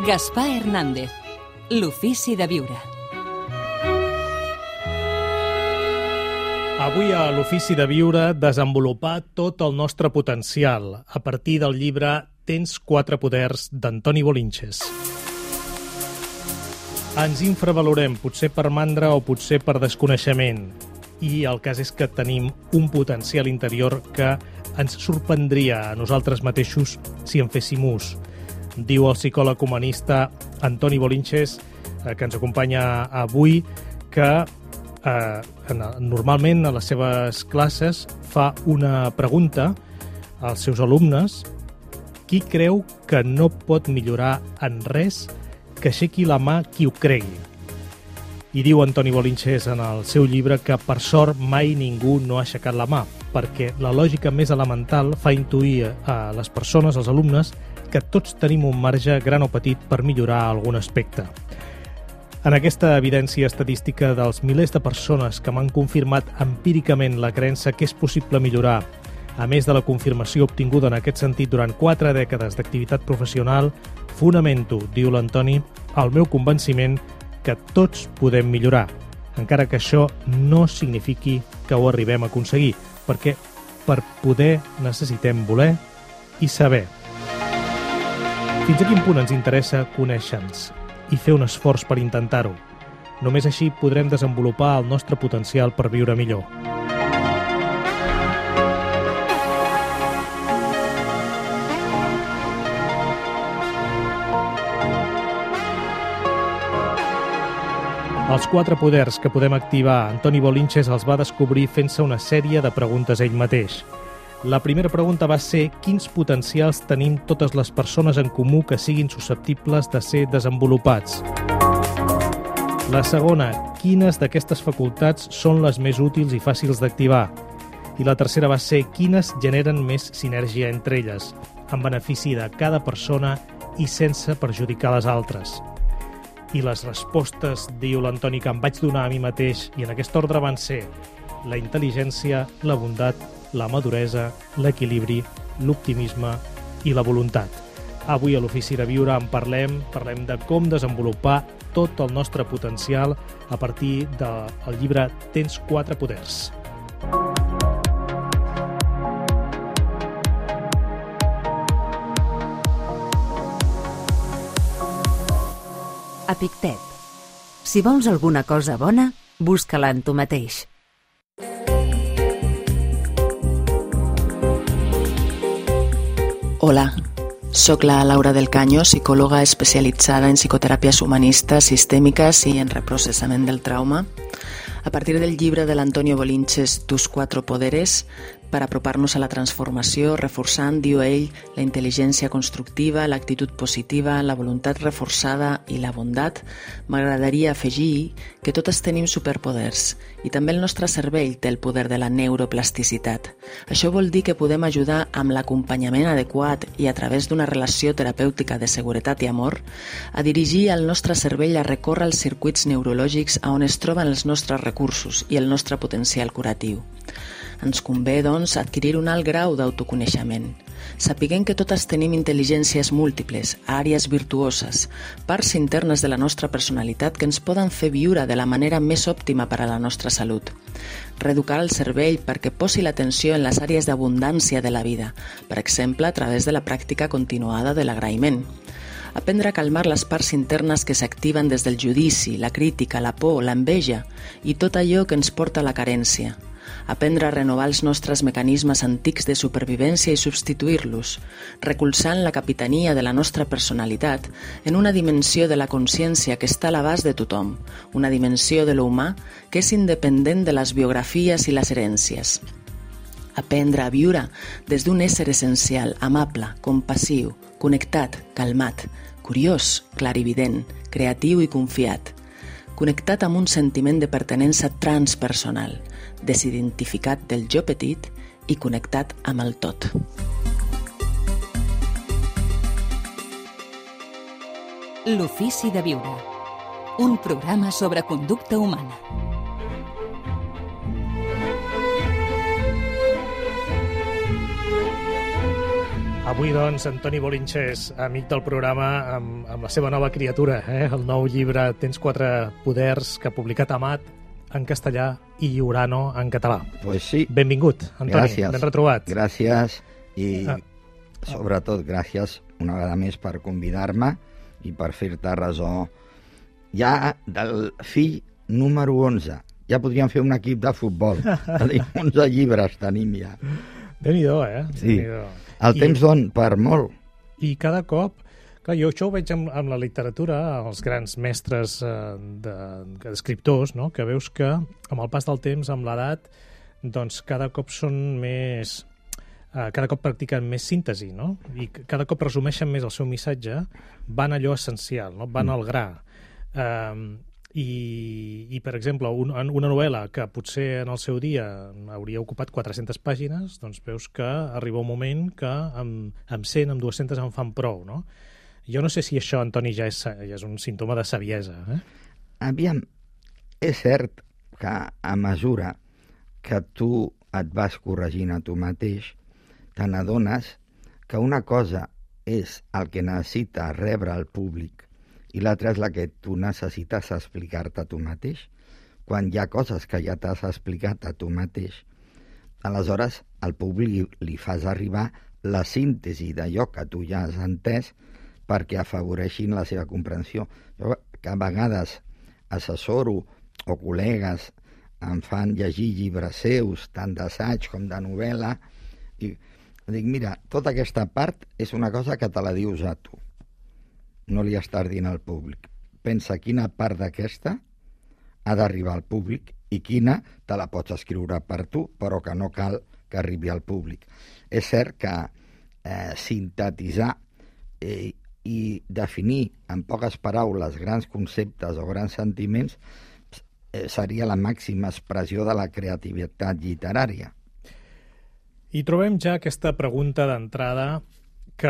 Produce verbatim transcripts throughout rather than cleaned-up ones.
Gaspar Hernández, l'ofici de viure. Avui a l'Ofici de Viure desenvolupar tot el nostre potencial a partir del llibre Tens quatre poders d'Antoni Bolinches. Ens infravalorem, potser per mandra o potser per desconeixement, i el cas és que tenim un potencial interior que ens sorprendria a nosaltres mateixos si en féssim ús. Diu el psicòleg humanista Antoni Bolinches, eh, que ens acompanya avui, que eh, normalment a les seves classes fa una pregunta als seus alumnes: qui creu que no pot millorar en res, que aixequi la mà qui ho cregui. I diu Antoni Bolinches en el seu llibre que per sort mai ningú no ha aixecat la mà, perquè la lògica més elemental fa intuir a les persones, als alumnes, que tots tenim un marge, gran o petit, per millorar algun aspecte. En aquesta evidència estadística dels milers de persones que m'han confirmat empíricament la creença que és possible millorar, a més de la confirmació obtinguda en aquest sentit durant quatre dècades d'activitat professional, fonamento, diu l'Antoni, el meu convenciment que tots podem millorar, encara que això no signifiqui que ho arribem a aconseguir, perquè per poder necessitem voler i saber. Fins a quin punt ens interessa conèixer-nos i fer un esforç per intentar-ho? Només així podrem desenvolupar el nostre potencial per viure millor. Els quatre poders que podem activar, Antoni Bolinches els va descobrir fent-se una sèrie de preguntes ell mateix. La primera pregunta va ser quins potencials tenim totes les persones en comú que siguin susceptibles de ser desenvolupats. La segona, quines d'aquestes facultats són les més útils i fàcils d'activar. I la tercera va ser quines generen més sinergia entre elles, en benefici de cada persona i sense perjudicar les altres. I les respostes, diu l'Antoni, que em vaig donar a mi mateix, i en aquest ordre van ser la intel·ligència, la bondat, la maduresa, l'equilibri, l'optimisme i la voluntat. Avui a l'Ofici de Viure en parlem, parlem de com desenvolupar tot el nostre potencial a partir del llibre Tens quatre poders. Epictet. Si vols alguna cosa bona, busca-la en tu mateix. Hola, soc la Laura del Caño, psicòloga especialitzada en psicoteràpies humanistes, sistèmiques i en reprocessament del trauma. A partir del llibre de l'Antonio Bolinches, Tus cuatro poderes, per apropar-nos a la transformació, reforçant, diu ell, la intel·ligència constructiva, l'actitud positiva, la voluntat reforçada i la bondat, m'agradaria afegir que totes tenim superpoders i també el nostre cervell té el poder de la neuroplasticitat. Això vol dir que podem ajudar amb l'acompanyament adequat i a través d'una relació terapèutica de seguretat i amor a dirigir el nostre cervell a recórrer els circuits neurològics a on es troben els nostres recursos i el nostre potencial curatiu. Ens convé, doncs, adquirir un alt grau d'autoconeixement. Sapiguem que totes tenim intel·ligències múltiples, àrees virtuoses, parts internes de la nostra personalitat que ens poden fer viure de la manera més òptima per a la nostra salut. Reeducar el cervell perquè posi l'atenció en les àrees d'abundància de la vida, per exemple, a través de la pràctica continuada de l'agraïment. Aprendre a calmar les parts internes que s'activen des del judici, la crítica, la por, l'enveja i tot allò que ens porta a la carència. Aprendre a renovar els nostres mecanismes antics de supervivència i substituir-los, recolzant la capitania de la nostra personalitat en una dimensió de la consciència que està a l'abast de tothom, una dimensió de l'humà que és independent de les biografies i les herències. Aprendre a viure des d'un ésser essencial, amable, compassiu, connectat, calmat, curiós, clarivident, creatiu i confiat, connectat amb un sentiment de pertinença transpersonal, desidentificat del jo petit i connectat amb el tot. L'Ofici de Viure, un programa sobre conducta humana. Avui, doncs, Antoni Bolinches, amic del programa, amb, amb la seva nova criatura, eh? El nou llibre Tens quatre poders, que ha publicat Amat en castellà i Urano en català. Pues sí. Benvingut, Antoni. Gràcies. Ben retrobat. Gràcies i, Ah. sobretot, gràcies una vegada més per convidar-me i per fer-te ressò ja del fill número onze. Ja podríem fer un equip de futbol. Tenim onze llibres, tenim ja. Déu-n'hi-do, eh? Sí. Déu-n'hi-do. El I- temps don per molt. I cada cop, clar, jo això ho veig amb, amb la literatura, els grans mestres eh, de, d'escriptors, no? Que veus que amb el pas del temps, amb l'edat, doncs cada cop són més... Eh, cada cop practiquen més síntesi, no? I c- cada cop resumeixen més el seu missatge, van a allò essencial, no? Van al gra. Eh, i, i, per exemple, un, en una novel·la que potser en el seu dia hauria ocupat quatre-centes pàgines, doncs veus que arriba un moment que amb, amb cent, amb dues-centes en fan prou, no? Jo no sé si això, Antoni, ja és, ja és un símptoma de saviesa, eh? Aviam, és cert que a mesura que tu et vas corregint a tu mateix, te n'adones que una cosa és el que necessita rebre el públic i l'altra és la que tu necessites explicar-te a tu mateix. Quan hi ha coses que ja t'has explicat a tu mateix, aleshores al públic li fas arribar la síntesi d'allò que tu ja has entès perquè afavoreixin la seva comprensió. Jo, que a vegades assessoro o col·legues em fan llegir llibres seus, tant d'assaig com de novel·la, i dic, mira, tota aquesta part és una cosa que te la dius a tu. No li estàs dient al públic. Pensa quina part d'aquesta ha d'arribar al públic i quina te la pots escriure per tu, però que no cal que arribi al públic. És cert que eh, sintetitzar eh, i definir en poques paraules grans conceptes o grans sentiments eh, seria la màxima expressió de la creativitat literària. I trobem ja aquesta pregunta d'entrada que,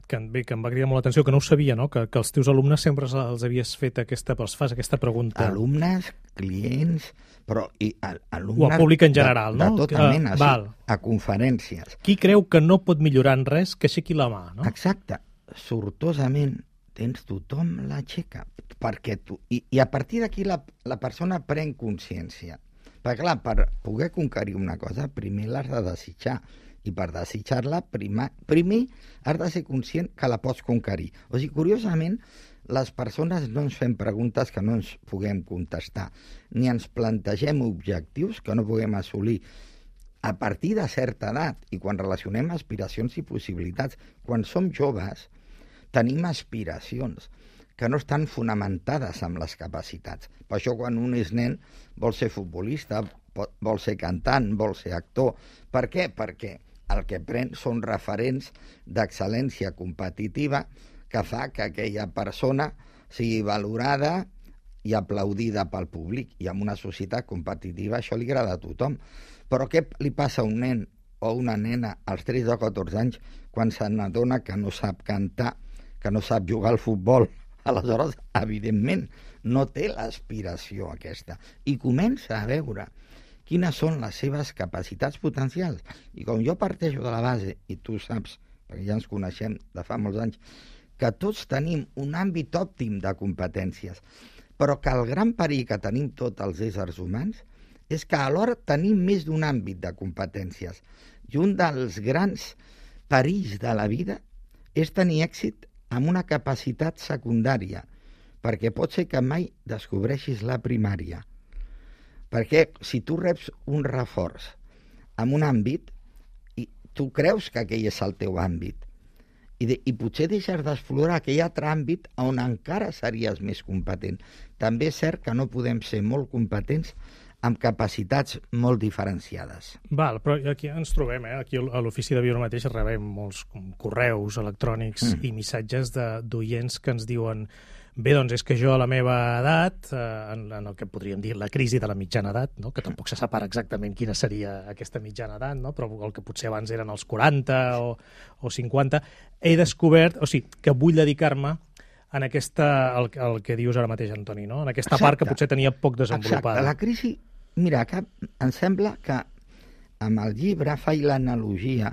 que, bé, que em va cridar molt l'atenció, que no ho sabia, no? Que, que els teus alumnes sempre els, els havies fet aquesta, els fas aquesta pregunta. Alumnes, clients, però i al, alumnes... O al públic en general, de, no? De tota Que- mena, val. sí, a conferències. Qui creu que no pot millorar en res, que aixequi la mà, no? Exacte. Sortosament tens tothom l'aixeca. Perquè tu... I, I a partir d'aquí la, la persona pren consciència. Perquè, clar, per poder conquerir una cosa, primer l'has de desitjar. I per desitjar-la, primer, primer has de ser conscient que la pots conquerir. O sigui, curiosament, les persones no ens fem preguntes que no ens puguem contestar, ni ens plantegem objectius que no puguem assolir a partir de certa edat, i quan relacionem aspiracions i possibilitats. Quan som joves, tenim aspiracions que no estan fonamentades amb les capacitats. Per això, quan un és nen, vol ser futbolista, vol ser cantant, vol ser actor. Per què? Perquè el que pren són referents d'excel·lència competitiva que fa que aquella persona sigui valorada i aplaudida pel públic. I en una societat competitiva això li agrada a tothom. Però què li passa a un nen o una nena als tretze o catorze anys quan se n'adona que no sap cantar, que no sap jugar al futbol? Aleshores, evidentment, no té l'aspiració aquesta. I comença a veure quines són les seves capacitats potencials. I com jo parteixo de la base, i tu saps, perquè ja ens coneixem de fa molts anys, que tots tenim un àmbit òptim de competències, però que el gran perill que tenim tots els éssers humans és que alhora tenim més d'un àmbit de competències. I un dels grans perills de la vida és tenir èxit amb una capacitat secundària, perquè pot ser que mai descobreixis la primària. Perquè si tu reps un reforç en un àmbit, i tu creus que aquell és el teu àmbit, i, de, i potser deixes d'explorar aquell altre àmbit on encara series més competent. També és cert que no podem ser molt competents amb capacitats molt diferenciades. Val, però aquí ens trobem, eh? Aquí a l'Ofici de Viure mateix rebem molts correus electrònics mm. i missatges d'oients que ens diuen: bé, doncs és que jo a la meva edat, eh, en, en el que podríem dir la crisi de la mitjana edat, no? Que tampoc se sap ara exactament quina seria aquesta mitjana edat, no? Però el que potser abans eren els quaranta o, o cinquanta, he descobert, o sigui, que vull dedicar-me en aquesta, el, el que dius ara mateix, Antoni, no? En aquesta Exacte. part que potser tenia poc desenvolupada. Exacte, la crisi, mira, que em sembla que amb el llibre faig l'analogia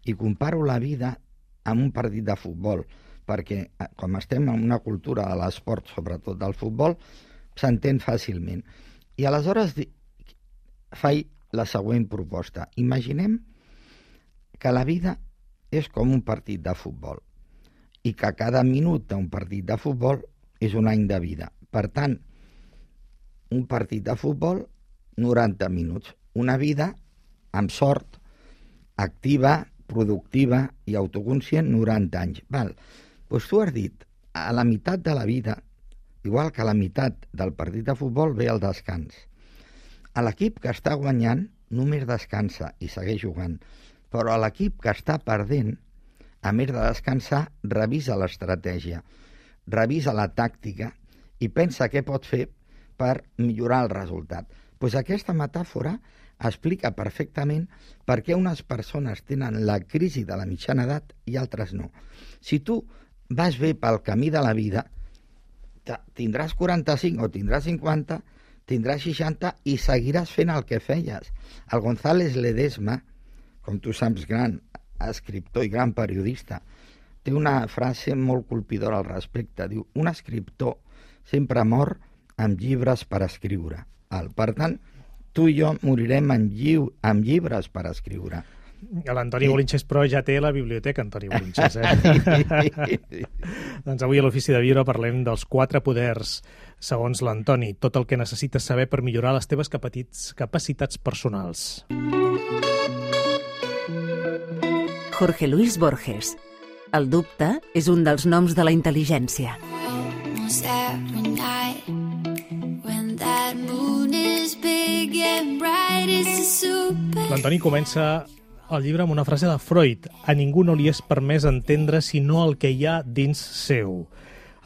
i comparo la vida en un partit de futbol, perquè com estem en una cultura de l'esport, sobretot del futbol, s'entén fàcilment. I aleshores faig la següent proposta. Imaginem que la vida és com un partit de futbol i que cada minut d'un partit de futbol és un any de vida. Per tant, un partit de futbol, noranta minuts. Una vida, amb sort, activa, productiva i autoconscient, noranta anys. Val. Doncs tu has dit, a la meitat de la vida, igual que a la meitat del partit de futbol, ve el descans. A l'equip que està guanyant només descansa i segueix jugant, però a l'equip que està perdent, a més de descansar, revisa l'estratègia, revisa la tàctica i pensa què pot fer per millorar el resultat. Doncs aquesta metàfora explica perfectament per què unes persones tenen la crisi de la mitjana edat i altres no. Si tu vas bé pel camí de la vida, tindràs quaranta-cinc o tindràs cinquanta, tindràs seixanta i seguiràs fent el que feies. El González Ledesma, com tu saps, gran escriptor i gran periodista, té una frase molt colpidora al respecte. Diu, un escriptor sempre mor amb llibres per escriure. Per tant, tu i jo morirem amb, lliu, amb llibres per escriure. L'Antoni sí. Bolinches, però, ja té la biblioteca, Antoni Bolinches. Eh? Doncs avui a l'Ofici de Viure parlem dels quatre poders, segons l'Antoni, tot el que necessites saber per millorar les teves capacitats personals. Jorge Luis Borges. El dubte és un dels noms de la intel·ligència. L'Antoni comença el llibre amb una frase de Freud. A ningú no li és permès entendre sinó el que hi ha dins seu.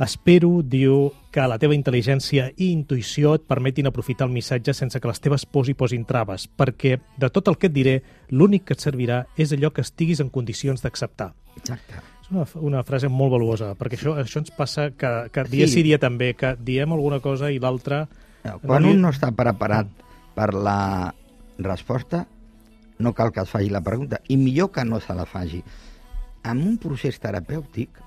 Espero, diu, que la teva intel·ligència i intuïció et permetin aprofitar el missatge sense que les teves pors hi posin traves, perquè de tot el que et diré, l'únic que et servirà és allò que estiguis en condicions d'acceptar. Exacte. És una, una frase molt valuosa, perquè això, això ens passa que, que dia sí. sí dia també, que diem alguna cosa i l'altra... Quan un no està preparat per la resposta, no cal que es faci la pregunta, i millor que no se la faci. En un procés terapèutic,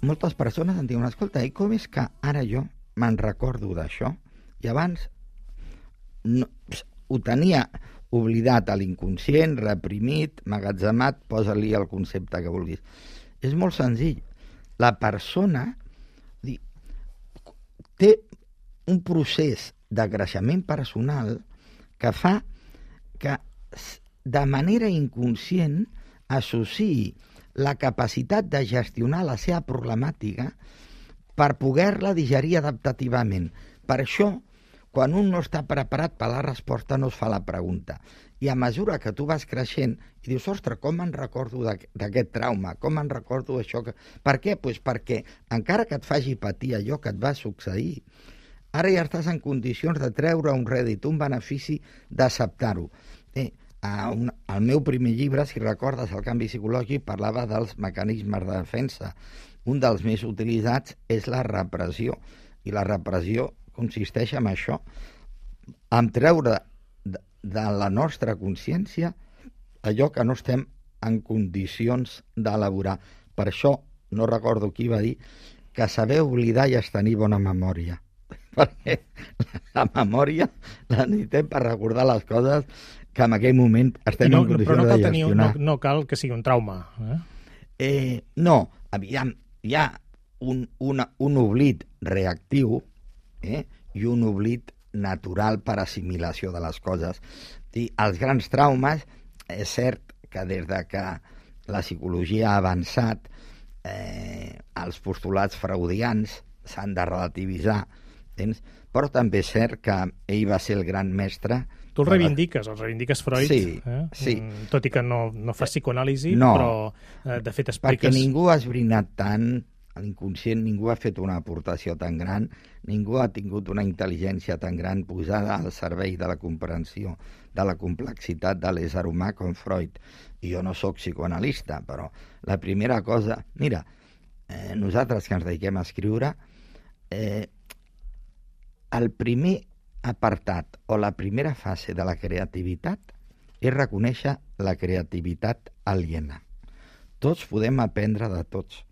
moltes persones em diuen, escolta, i com és que ara jo me'n recordo d'això? I abans no, ho tenia oblidat a l'inconscient, reprimit, magatzemat, posa-li el concepte que vulguis. És molt senzill. La persona té un procés de creixement personal que fa que de manera inconscient associï la capacitat de gestionar la seva problemàtica per poder-la digerir adaptativament. Per això, quan un no està preparat per la resposta, no es fa la pregunta. I a mesura que tu vas creixent i dius, ostres, com me'n recordo d'aquest trauma? Com me'n recordo d'això? Que... Per què? Pues perquè, encara que et faci patir allò que et va succeir, ara ja estàs en condicions de treure un rèdit, un benefici, d'acceptar-ho. Eh, un, el meu primer llibre, si recordes, el canvi psicològic, parlava dels mecanismes de defensa. Un dels més utilitzats és la repressió. I la repressió consisteix en això, en treure de, de la nostra consciència allò que no estem en condicions d'elaborar. Per això, no recordo qui va dir, que saber oblidar i és tenir bona memòria. Perquè la memòria la necessitem per recordar les coses que en aquell moment estem no, en condicions no de gestionar. Tenir, no, no cal que sigui un trauma. Eh? Eh, no, aviam, hi ha un, una, un oblit reactiu eh, i un oblit natural per assimilació de les coses. I els grans traumes, és cert que des de que la psicologia ha avançat, eh, els postulats freudians s'han de relativitzar, tens? Però també és cert que ell va ser el gran mestre. Tu el reivindiques, el reivindiques Freud, sí, eh? sí. Tot i que no, no fa psicoanàlisi, no, però eh, de fet expliques... Perquè ningú ha esbrinat tant a l'inconscient, ningú ha fet una aportació tan gran, ningú ha tingut una intel·ligència tan gran posada al servei de la comprensió de la complexitat de l'ésser humà com Freud. I jo no sóc psicoanalista, però la primera cosa... Mira, eh, nosaltres que ens dediquem a escriure, eh, el primer apartat o la primera fase de la creativitat és reconèixer la creativitat aliena. tots podem aprendre de tots.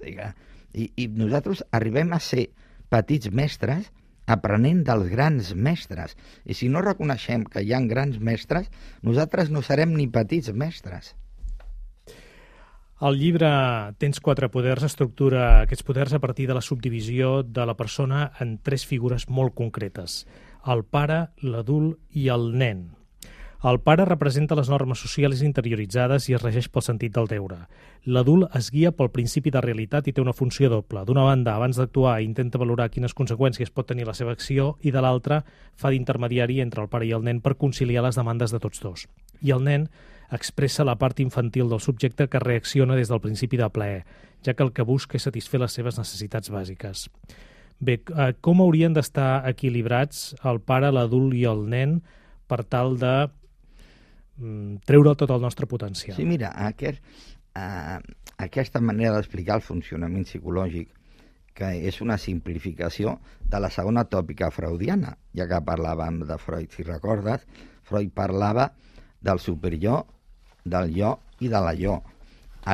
I, i nosaltres arribem a ser petits mestres aprenent dels grans mestres. I si no reconeixem que hi ha grans mestres, nosaltres no serem ni petits mestres. El llibre Tens quatre poders estructura aquests poders a partir de la subdivisió de la persona en tres figures molt concretes: el pare, l'adult i el nen. El pare representa les normes socials interioritzades i es regeix pel sentit del deure. L'adult es guia pel principi de realitat i té una funció doble. D'una banda, abans d'actuar, intenta valorar quines conseqüències pot tenir la seva acció i, de l'altra, fa d'intermediari entre el pare i el nen per conciliar les demandes de tots dos. I el nen expressa la part infantil del subjecte que reacciona des del principi de plaer, ja que el que busca és satisfer les seves necessitats bàsiques. Bé, com haurien d'estar equilibrats el pare, l'adult i el nen per tal de treure tot el nostre potencial? Sí, mira, aquest, uh, aquesta manera d'explicar el funcionament psicològic, que és una simplificació de la segona tòpica freudiana, ja que parlàvem de Freud, si recordes, Freud parlava del superior, del jo i de la jo.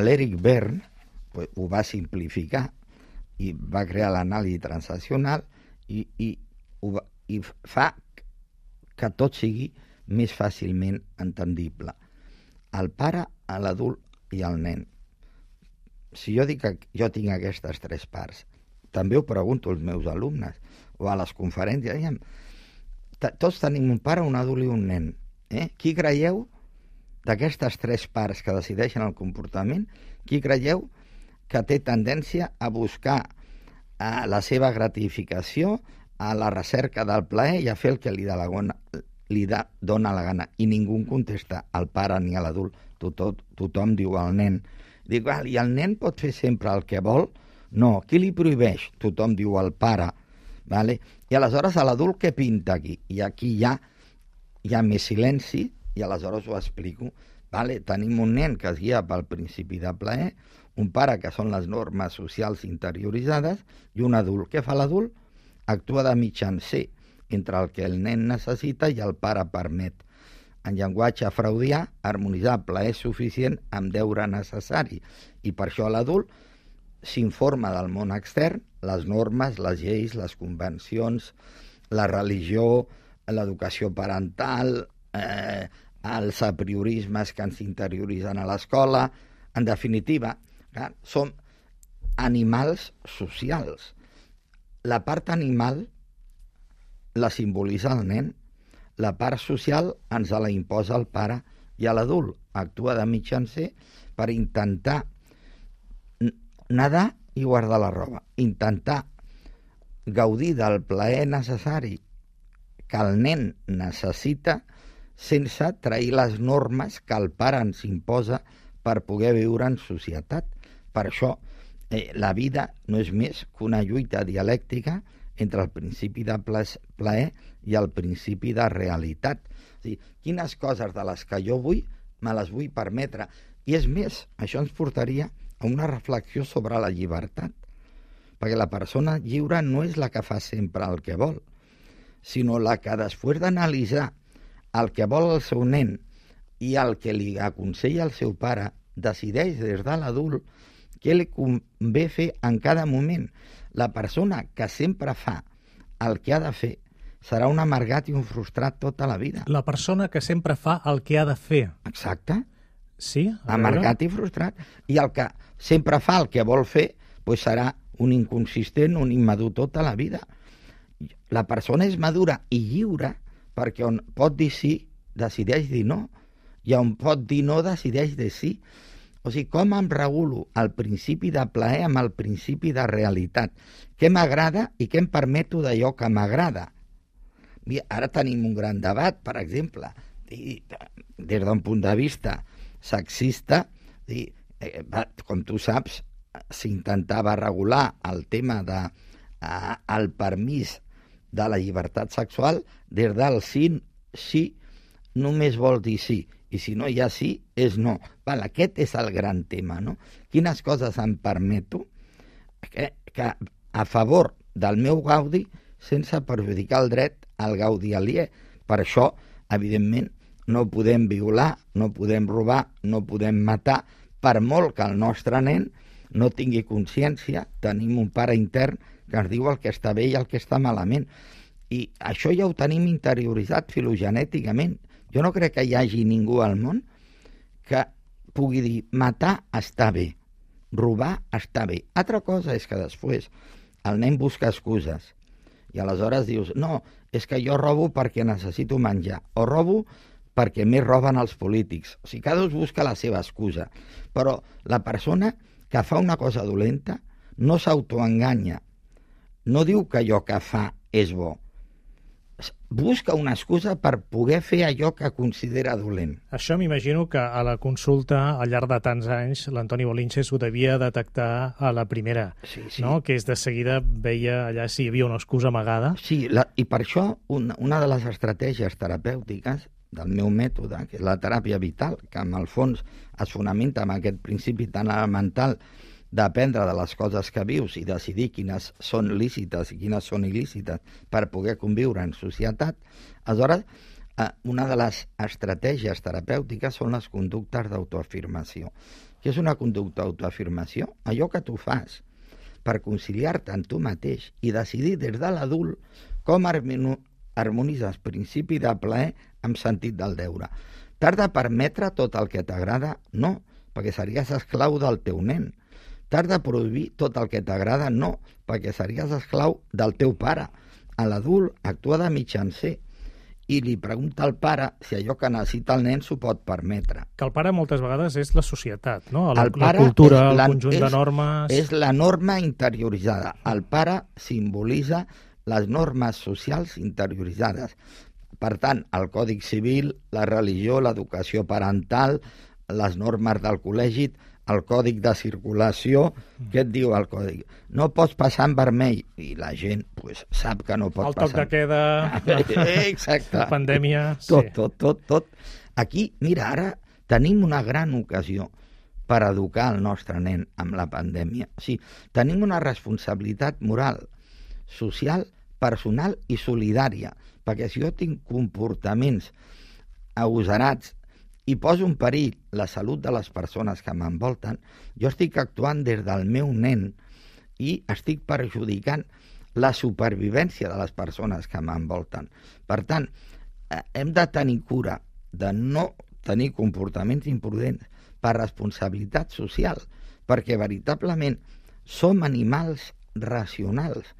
L'Eric Berne pues, ho va simplificar i va crear l'anàlisi transaccional i, i, ho va, i fa que tot sigui més fàcilment entendible. El pare, l'adult i el nen. Si jo dic que jo tinc aquestes tres parts, també ho pregunto als meus alumnes o a les conferències, diguem, tots tenim un pare, un adult i un nen. Eh? Qui creieu d'aquestes tres parts que decideixen el comportament, qui creieu que té tendència a buscar a la seva gratificació, a la recerca del plaer i a fer el que li, de la gona, li da, dona la gana? I ningú contesta, el pare ni l'adult. Tothom, tothom diu el nen. Dic, val, i el nen pot fer sempre el que vol? No. Qui li prohibeix? Tothom diu el pare. Vale? I aleshores l'adult què pinta aquí? I aquí hi ha, hi ha més silenci i aleshores ho explico. Vale? Tenim un nen que es guia pel principi de plaer, un pare que són les normes socials interioritzades i un adult. Què fa l'adult? Actua de mitjancer entre el que el nen necessita i el pare permet. En llenguatge freudià, harmonitzar plaer suficient amb deure necessari. I per això l'adult s'informa del món extern, les normes, les lleis, les convencions, la religió, l'educació parental, eh, els apriorismes que ens interioritzen a l'escola. En definitiva, clar, som animals socials. La part animal la simbolitza el nen, la part social ens la imposa el pare i l'adult. Actua de mitjancer per intentar nedar i guardar la roba, intentar gaudir del plaer necessari que el nen necessita sense trair les normes que el pare ens imposa per poder viure en societat. Per això eh, la vida no és més que una lluita dialèctica entre el principi de plaer i el principi de realitat. O sigui, quines coses de les que jo vull, me les vull permetre. I és més, això ens portaria a una reflexió sobre la llibertat, perquè la persona lliure no és la que fa sempre el que vol, sinó la que després d'analitzar el que vol el seu nen i el que li aconsella el seu pare, decideix des de l'adult què li convé fer en cada moment. La persona que sempre fa el que ha de fer serà un amargat i un frustrat tota la vida. La persona que sempre fa el que ha de fer. Exacte. Sí? Amargat i frustrat. I el que sempre fa el que vol fer pues serà un inconsistent, un immadur tota la vida. La persona és madura i lliure perquè on pot dir sí, decideix dir no. I on pot dir no, decideix dir sí. O sigui, com em regulo el principi de plaer amb el principi de realitat? Què m'agrada i què em permeto d'allò que m'agrada? Ara tenim un gran debat, per exemple, des d'un punt de vista sexista, com tu saps, s'intentava regular el tema del de, permís de la llibertat sexual des del sí, sí, només vol dir sí. I si no hi ha sí, és no. Val, aquest és el gran tema, no? Quines coses em permeto que, que a favor del meu gaudi sense perjudicar el dret al gaudi aliè. Per això, evidentment, no podem violar, no podem robar, no podem matar, per molt que el nostre nen no tingui consciència, tenim un pare intern que ens diu el que està bé i el que està malament. I això ja ho tenim interioritzat filogenèticament. Jo no crec que hi hagi ningú al món que pugui dir matar està bé, robar està bé. Altra cosa és que després el nen busca excuses i aleshores dius, no, és que jo robo perquè necessito menjar, o robo perquè més roben els polítics. O sigui, cada un busca la seva excusa. Però la persona que fa una cosa dolenta no s'autoenganya. No diu que allò que fa és bo. Busca una excusa per poder fer allò que considera dolent. Això m'imagino que a la consulta, al llarg de tants anys, l'Antoni Bolinches ho devia detectar a la primera, sí, sí. No? Que és de seguida veia allà si hi havia una excusa amagada. Sí, la, i per això una, una de les estratègies terapèutiques del meu mètode, que és la teràpia vital, que en el fons es fonamenta en aquest principi tan elemental d'aprendre de les coses que vius i decidir quines són lícites i quines són il·lícites per poder conviure en societat, aleshores una de les estratègies terapèutiques són les conductes d'autoafirmació. Què és una conducta d'autoafirmació? Allò que tu fas per conciliar-te amb tu mateix i decidir des de l'adult com harmonitzes principi de plaer amb sentit del deure. T'has de permetre tot el que t'agrada? No, perquè series esclau del teu nen. T'has de prohibir tot el que t'agrada? No, perquè series esclau del teu pare. A l'adult actua de mitjancer i li pregunta al pare si allò que necessita el nen s'ho pot permetre. Que el pare moltes vegades és la societat, no? La, el pare la cultura, el la, conjunt és, de normes... És la norma interioritzada. El pare simbolitza les normes socials interioritzades. Per tant, el Codi Civil, la religió, l'educació parental, les normes del col·legi, el còdic de circulació, què et diu el còdic? No pots passar en vermell, i la gent pues, sap que no pot el passar. El toc de queda, exacte. La pandèmia... Tot, sí. tot, tot, tot. Aquí, mira, ara tenim una gran ocasió per educar el nostre nen amb la pandèmia. O sigui, tenim una responsabilitat moral, social, personal i solidària, perquè si jo tinc comportaments agosarats i poso en perill la salut de les persones que m'envolten, jo estic actuant des del meu nen i estic perjudicant la supervivència de les persones que m'envolten. Per tant, hem de tenir cura de no tenir comportaments imprudents per responsabilitat social, perquè veritablement som animals racionals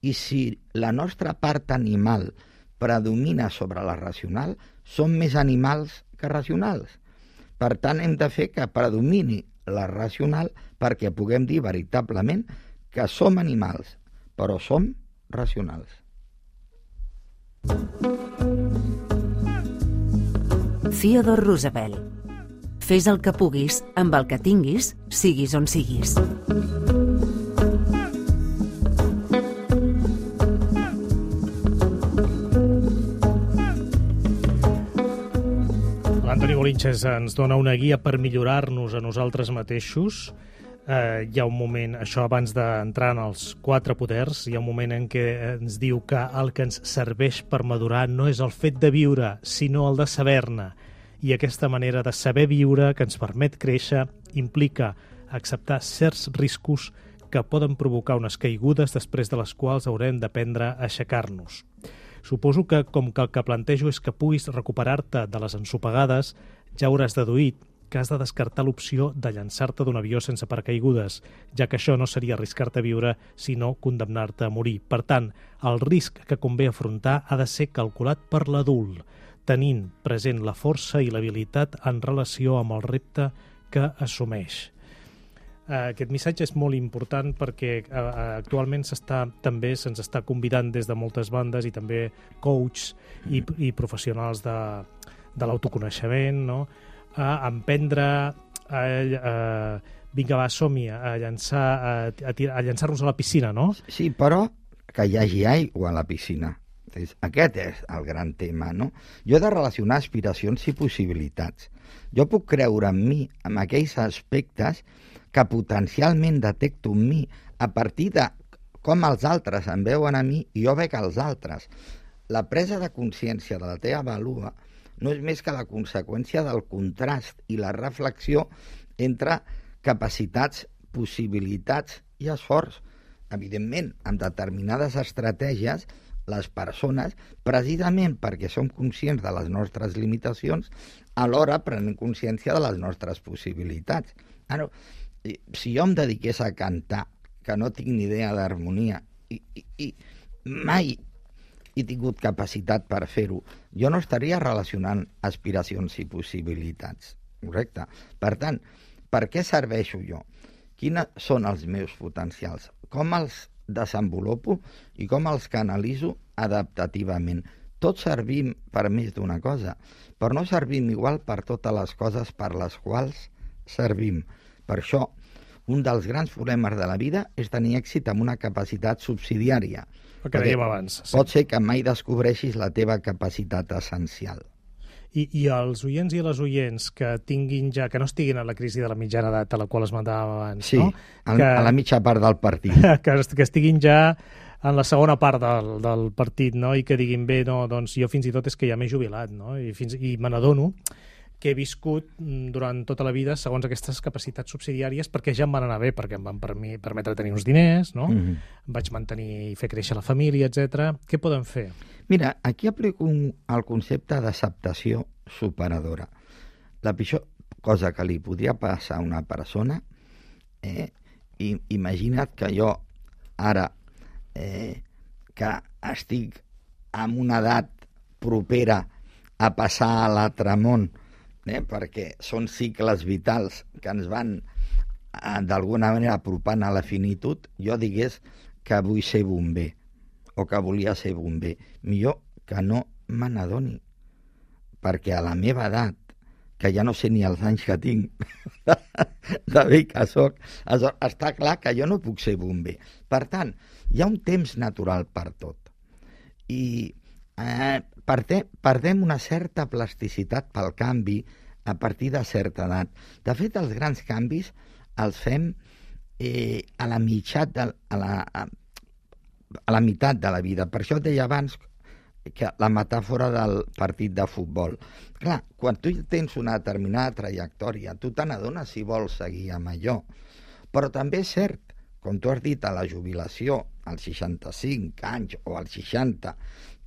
i si la nostra part animal predomina sobre la racional, som més animals que racionals. Per tant, hem de fer que predomini la racional perquè puguem dir veritablement que som animals, però som racionals. Theodore Roosevelt. Fes el que puguis amb el que tinguis, siguis on siguis. L'Antoni Bolinches ens dona una guia per millorar-nos a nosaltres mateixos. Eh, hi ha un moment, això abans d'entrar en els quatre poders, hi ha un moment en què ens diu que el que ens serveix per madurar no és el fet de viure, sinó el de saber-ne. I aquesta manera de saber viure que ens permet créixer implica acceptar certs riscos que poden provocar unes caigudes després de les quals haurem d'aprendre a aixecar-nos. Suposo que, com que el que plantejo és que puguis recuperar-te de les ensopegades, ja hauràs deduït que has de descartar l'opció de llançar-te d'un avió sense paracaigudes, ja que això no seria arriscar-te a viure, sinó condemnar-te a morir. Per tant, el risc que convé afrontar ha de ser calculat per l'adult, tenint present la força i l'habilitat en relació amb el repte que assumeix. Aquest missatge és molt important perquè actualment s'està també se'ns està convidant des de moltes bandes i també coaches i, i professionals de, de l'autoconeixement, no? A emprendre, a, a, vinga va, som-hi, a llançar, a, a, a llançar-nos a la piscina, no? Sí, però que hi hagi aigua a la piscina. Aquest és el gran tema, no? Jo he de relacionar aspiracions i possibilitats. Jo puc creure en mi, en aquells aspectes que potencialment detecto en mi a partir de com els altres em veuen a mi i jo veig als altres. La presa de consciència de la teva vàlua no és més que la conseqüència del contrast i la reflexió entre capacitats, possibilitats i esforç. Evidentment, amb determinades estratègies, les persones, precisament perquè som conscients de les nostres limitacions, alhora prenem consciència de les nostres possibilitats. Ara, si jo em dediqués a cantar, que no tinc ni idea d'harmonia, i, i, i mai he tingut capacitat per fer-ho, jo no estaria relacionant aspiracions i possibilitats, correcte? Per tant, per què serveixo jo? Quins són els meus potencials? Com els desenvolupo i com els canalitzo adaptativament? Tots servim per més d'una cosa, però no servim igual per totes les coses per les quals servim. Per això, un dels grans problemes de la vida és tenir èxit amb una capacitat subsidiària. El que dèiem abans. Sí. Pot ser que mai descobreixis la teva capacitat essencial. I, I els oients i les oients que tinguin ja, que no estiguin a la crisi de la mitjana edat a la qual esmentàvem abans, sí, no? Que, que, a la mitja part del partit. Que, que estiguin ja en la segona part del, del partit, no? I que diguin, bé, no, doncs jo fins i tot és que ja m'he jubilat, no? I, fins, i me n'adono que he viscut durant tota la vida segons aquestes capacitats subsidiàries perquè ja em van anar bé, perquè em van permetre tenir uns diners, no? Mm-hmm. Em vaig mantenir i fer créixer la família, etcètera. Què podem fer? Mira, aquí aplico un, el concepte d'acceptació superadora. La pitjor cosa que li podria passar a una persona, eh, i, imagina't que jo ara, eh, que estic en una edat propera a passar a l'altre món, eh, perquè són cicles vitals que ens van eh, d'alguna manera apropant a la finitud, jo digués que vull ser bomber, o que volia ser bomber. Millor que no me n'adoni, perquè a la meva edat, que ja no sé ni els anys que tinc, de, de vell que soc, està clar que jo no puc ser bomber. Per tant, hi ha un temps natural per tot. I eh, perdem una certa plasticitat pel canvi a partir de certa edat. De fet, els grans canvis els fem eh, a la mitjat de, a la, a, a la meitat de la vida. Per això et deia abans que la metàfora del partit de futbol. Clar, quan tu tens una determinada trajectòria, tu te n'adones si vols seguir amb allò. Però també és cert, com tu has dit, a la jubilació, als seixanta-cinc anys o als seixanta,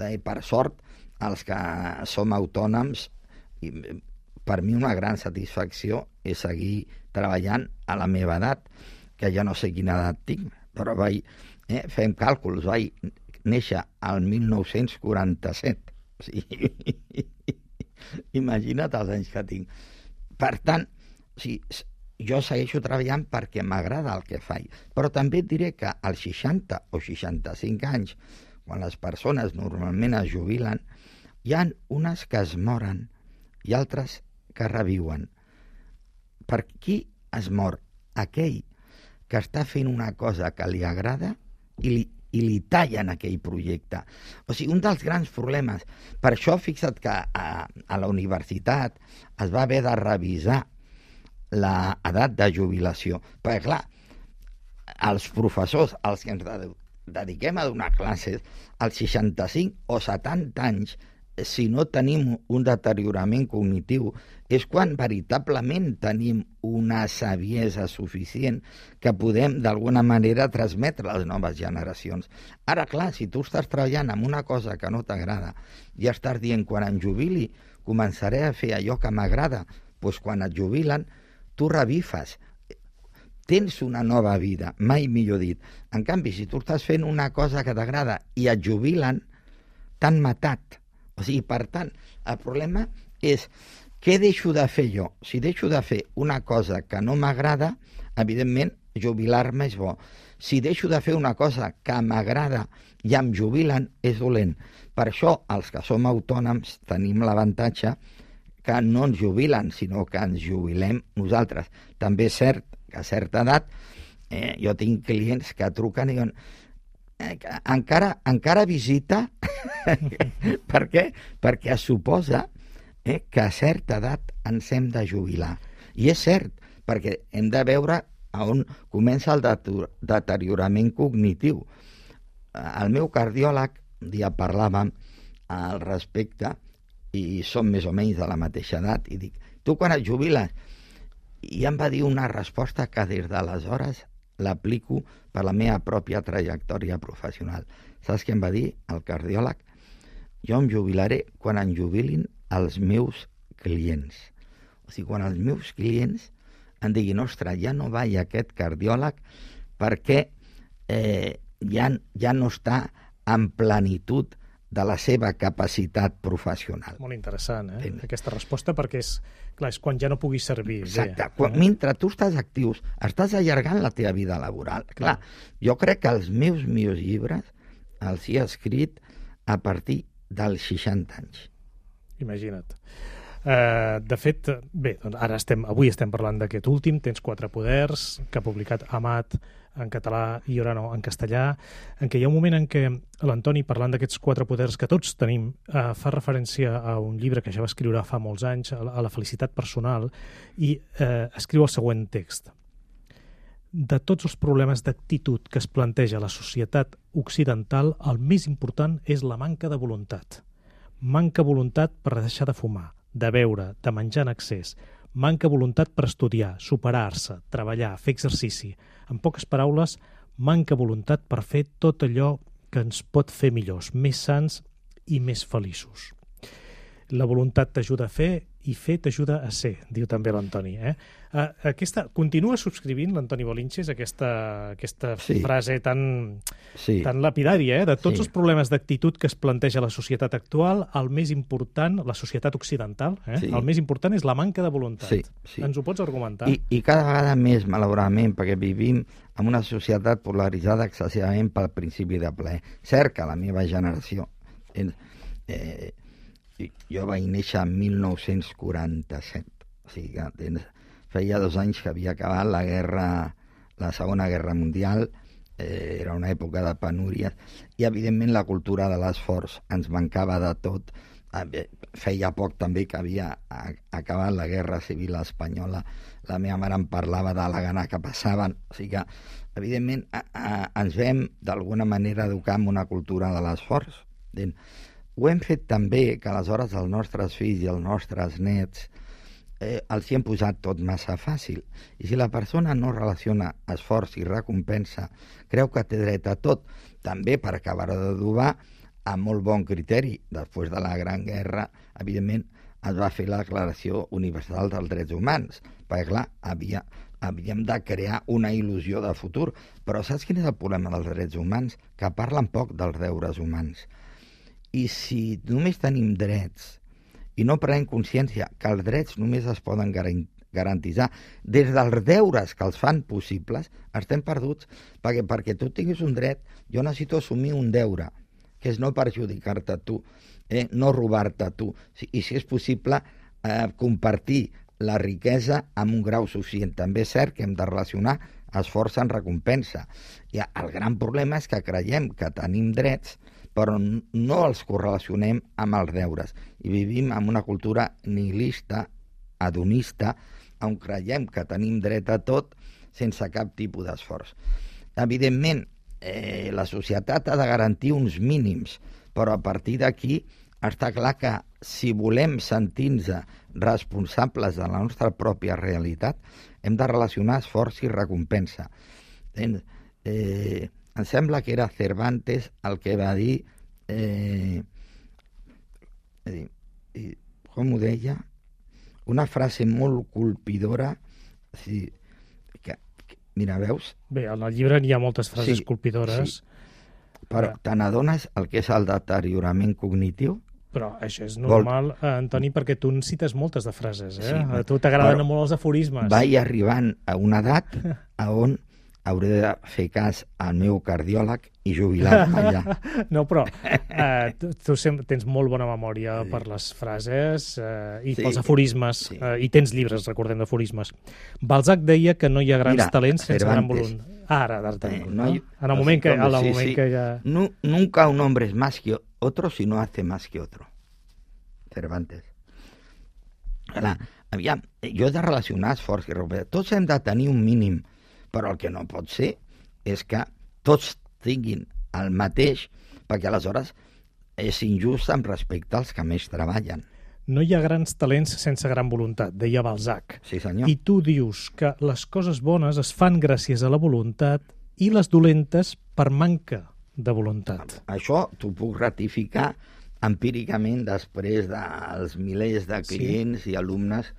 eh, per sort, els que som autònoms, i per mi una gran satisfacció és seguir treballant a la meva edat, que ja no sé quina edat tinc, però vaig, eh, fem càlculs, vaig néixer al mil nou-cents quaranta-set. O sigui, imagina't els anys que tinc. Per tant, o sigui, jo segueixo treballant perquè m'agrada el que faig, però també et diré que als seixanta o seixanta-cinc anys, quan les persones normalment es jubilen, hi ha unes que es moren i altres que reviuen. Per qui es mor? Aquell que està fent una cosa que li agrada i li i li tallen aquell projecte. O sigui, un dels grans problemes. Per això, fixa't que a, a la universitat es va haver de revisar l'edat de jubilació. Perquè, clar, els professors, els que ens dediquem a donar classes, als seixanta-cinc o setanta anys, si no tenim un deteriorament cognitiu, és quan veritablement tenim una saviesa suficient que podem d'alguna manera transmetre a les noves generacions. Ara, clar, si tu estàs treballant en una cosa que no t'agrada i estàs dient, quan em jubili començaré a fer allò que m'agrada, doncs quan et jubilen tu revifes, tens una nova vida, mai millor dit. En canvi, si tu estàs fent una cosa que t'agrada i et jubilen, t'han matat. O sigui, per tant, el problema és què deixo de fer jo? Si deixo de fer una cosa que no m'agrada, evidentment, jubilar-me és bo. Si deixo de fer una cosa que m'agrada i em jubilen, és dolent. Per això, els que som autònoms tenim l'avantatge que no ens jubilen, sinó que ens jubilem nosaltres. També és cert que a certa edat, eh, jo tinc clients que truquen i diuen encara, encara visita per què? Perquè es suposa eh, que a certa edat ens hem de jubilar, i és cert, perquè hem de veure a on comença el deteriorament cognitiu. El meu cardiòleg un dia parlàvem al respecte i som més o menys de la mateixa edat i dic, tu quan et jubiles? i em va dir una resposta que des d'aleshores l'aplico per la meva pròpia trajectòria professional. Saps què em va dir el cardiòleg? Jo em jubilaré quan em jubilin els meus clients. O sigui, quan els meus clients em diguin, ostres, ja no vaig a aquest cardiòleg perquè eh, ja, ja no està en plenitud de la seva capacitat professional. Molt interessant, eh? Sí. Aquesta resposta, perquè és, clar, és quan ja no puguis servir. Exacte. Bé, quan, eh? Mentre tu estàs actius, estàs allargant la teva vida laboral. Clar, clar, jo crec que els meus millors llibres els he escrit a partir dels seixanta anys. Imagina't. Uh, de fet, bé, doncs ara estem, avui estem parlant d'aquest últim, Tens quatre poders, que ha publicat Amat en català i ara no, en castellà, en què hi ha un moment en què l'Antoni, parlant d'aquests quatre poders que tots tenim, uh, fa referència a un llibre que ja va escriure fa molts anys, a la, a la felicitat personal, i uh, escriu el següent text. De tots els problemes d'actitud que es planteja a la societat occidental, el més important és la manca de voluntat. Manca voluntat per deixar de fumar, de beure, de menjar en excés, manca voluntat per estudiar, superar-se, treballar, fer exercici. En poques paraules, manca voluntat per fer tot allò que ens pot fer millors, més sants i més feliços. La voluntat t'ajuda a fer i fer t'ajuda a ser, diu també l'Antoni. Eh? Aquesta, continua subscrivint l'Antoni Bolinches aquesta, aquesta sí. frase tan, sí. tan lapidària, eh? De tots sí. els problemes d'actitud que es planteja la societat actual, el més important, la societat occidental, eh? sí. el més important és la manca de voluntat. Sí, sí. Ens ho pots argumentar? I, I cada vegada més, malauradament, perquè vivim en una societat polaritzada excessivament pel principi de plaer. Cert que la meva generació... Eh, eh, jo vaig néixer en mil nou-cents quaranta-set, o sigui que tens, feia dos anys que havia acabat la guerra, la Segona Guerra Mundial, eh, era una època de penúries, i evidentment la cultura de l'esforç ens mancava de tot. Feia poc també que havia acabat la Guerra Civil Espanyola, la meva mare em parlava de la gana que passaven, o sigui que evidentment a, a, ens vam d'alguna manera educar en una cultura de l'esforç. Ho hem fet també que aleshores els nostres fills i els nostres nets eh, els hi hem posat tot massa fàcil. I si la persona no relaciona esforç i recompensa, creu que té dret a tot, també per acabar d'adobar amb molt bon criteri. Després de la Gran Guerra, evidentment, es va fer la Declaració Universal dels Drets Humans, perquè, clar, havia, havíem de crear una il·lusió de futur. Però saps quin és el problema dels drets humans? Que parlen poc dels deures humans. I si només tenim drets i no prenem consciència que els drets només es poden garantitzar des dels deures que els fan possibles, estem perduts, perquè perquè tu tinguis un dret, jo necessito assumir un deure, que és no perjudicar-te tu, eh? no robar-te tu, i si és possible eh, compartir la riquesa amb un grau suficient. També és cert que hem de relacionar esforç en recompensa. I el gran problema és que creiem que tenim drets, però no els correlacionem amb els deures. I vivim en una cultura nihilista, hedonista, on creiem que tenim dret a tot sense cap tipus d'esforç. Evidentment, eh, la societat ha de garantir uns mínims, però a partir d'aquí està clar que si volem sentir-nos responsables de la nostra pròpia realitat, hem de relacionar esforç i recompensa. Eh, em sembla que era Cervantes el que va dir, eh, eh, com ho deia, una frase molt colpidora, sí, que, que, mira, veus? Bé, en el llibre hi ha moltes frases sí, colpidores. Sí. Però te n'adones el que és el deteriorament cognitiu? Però això és normal, Vol... Antoni, perquè tu en cites moltes de frases, eh? Sí, a tu t'agraden molt els aforismes. Vaig arribant a una edat a on hauré de fer cas al meu cardiòleg i jubilar-me allà. No, però eh, tu, tu tens molt bona memòria sí. per les frases eh, i sí. pels aforismes, sí. eh, i tens llibres, recordem, d'aforismes. Balzac deia que no hi ha grans Mira, talents sense Cervantes. Gran voluntat. Ah, ara, d'Artagnan. Eh, no hay... En el moment, que, en el sí, moment sí. que ja... No, nunca un hombre es más que otro si no hace más que otro. Cervantes. Ara, aviam, jo he de relacionar esforç i recompensa. Tots hem de tenir un mínim, però el que no pot ser és que tots tinguin el mateix, perquè aleshores és injust amb respecte als que més treballen. no hi ha grans talents sense gran voluntat, deia Balzac. Sí, senyor. I tu dius que les coses bones es fan gràcies a la voluntat i les dolentes per manca de voluntat. Això t'ho puc ratificar empíricament després dels milers de clients sí. i alumnes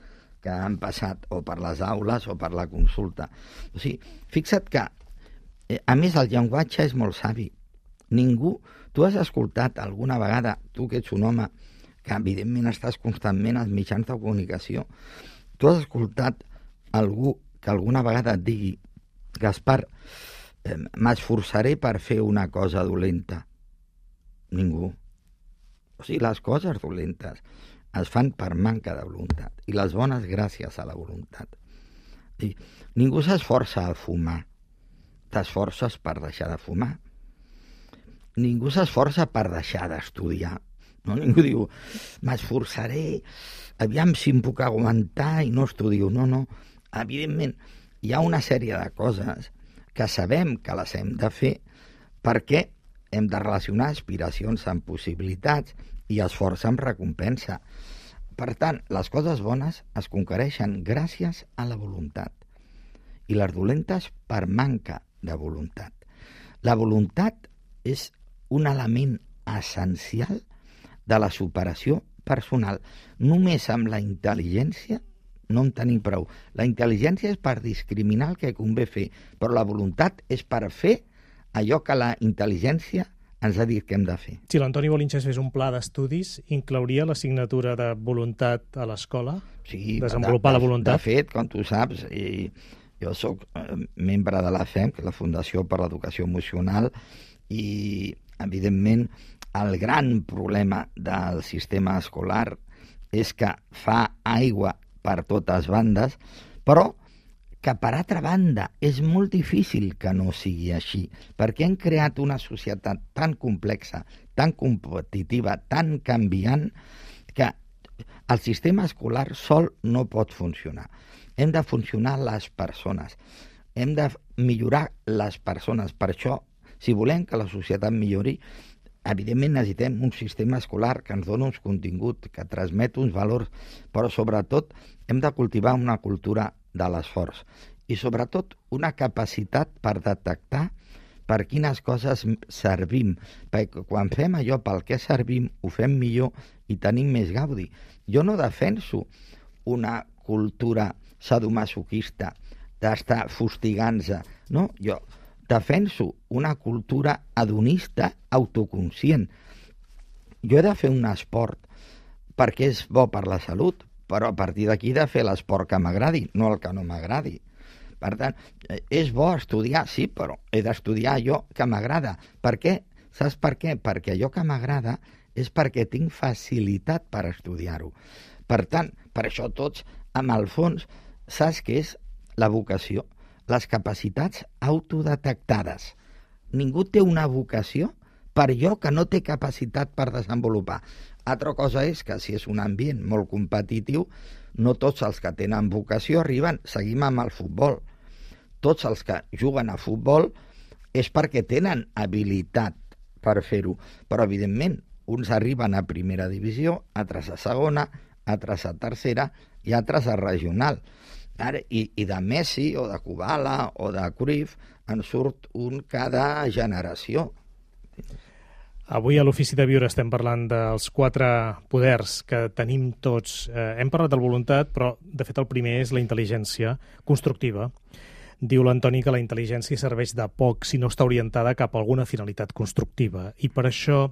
que han passat o per les aules o per la consulta. O sigui, fixa't que, a més, el llenguatge és molt savi. Ningú... Tu has escoltat alguna vegada, tu que ets un home que evidentment estàs constantment als mitjans de comunicació, tu has escoltat algú que alguna vegada et digui Gaspar, eh, m'esforçaré per fer una cosa dolenta? Ningú. O sigui, les coses dolentes es fan per manca de voluntat i les bones gràcies a la voluntat. I ningú s'esforça a fumar, t'esforces per deixar de fumar. Ningú s'esforça per deixar d'estudiar. No? Ningú diu, m'esforçaré, aviam si em puc aguantar i no estudio. No, no. Evidentment, hi ha una sèrie de coses que sabem que les hem de fer perquè hem de relacionar aspiracions amb possibilitats i esforç amb recompensa. Per tant, les coses bones es conquereixen gràcies a la voluntat i les dolentes per manca de voluntat. La voluntat és un element essencial de la superació personal. Només amb la intel·ligència no en tenim prou. La intel·ligència és per discriminar el que convé fer, però la voluntat és per fer allò que la intel·ligència ens ha dit que hem de fer. Si l'Antoni Bolinches fes un pla d'estudis, inclouria l'assignatura de voluntat a l'escola? Sí, desenvolupar de, la voluntat? De fet, com tu saps, i jo sóc membre de la F E M, que és la Fundació per l'Educació Emocional, i evidentment el gran problema del sistema escolar és que fa aigua per totes bandes, però que per altra banda és molt difícil que no sigui així, perquè hem creat una societat tan complexa, tan competitiva, tan canviant, que el sistema escolar sol no pot funcionar. Hem de funcionar les persones, hem de millorar les persones. Per això, si volem que la societat millori, evidentment necessitem un sistema escolar que ens doni uns continguts, que transmet uns valors, però sobretot hem de cultivar una cultura de l'esforç i sobretot una capacitat per detectar per quines coses servim, perquè quan fem allò pel que servim ho fem millor i tenim més gaudi. Jo no defenso una cultura sadomasoquista d'estar fustigant-se, no? Jo defenso una cultura hedonista autoconscient. Jo he de fer un esport perquè és bo per la salut, però a partir d'aquí he de fer l'esport que m'agradi, no el que no m'agradi. Per tant, és bo estudiar, sí, però he d'estudiar allò que m'agrada. Per què? Saps per què? Perquè allò que m'agrada és perquè tinc facilitat per estudiar-ho. Per tant, per això tots, amb el fons, saps què és la vocació? Les capacitats autodetectades. Ningú té una vocació per allò que no té capacitat per desenvolupar. Altra cosa és que si és un ambient molt competitiu, no tots els que tenen vocació arriben. Seguim amb el futbol. Tots els que juguen a futbol és perquè tenen habilitat per fer-ho. Però, evidentment, uns arriben a primera divisió, altres a segona, altres a tercera i altres a regional. I, i de Messi o de Kubala o de Cruyff en surt un cada generació. Avui a l'Ofici de Viure estem parlant dels quatre poders que tenim tots. Eh, hem parlat de la voluntat, però de fet el primer és la intel·ligència constructiva. Diu l'Antoni que la intel·ligència serveix de poc si no està orientada cap a alguna finalitat constructiva. I per això,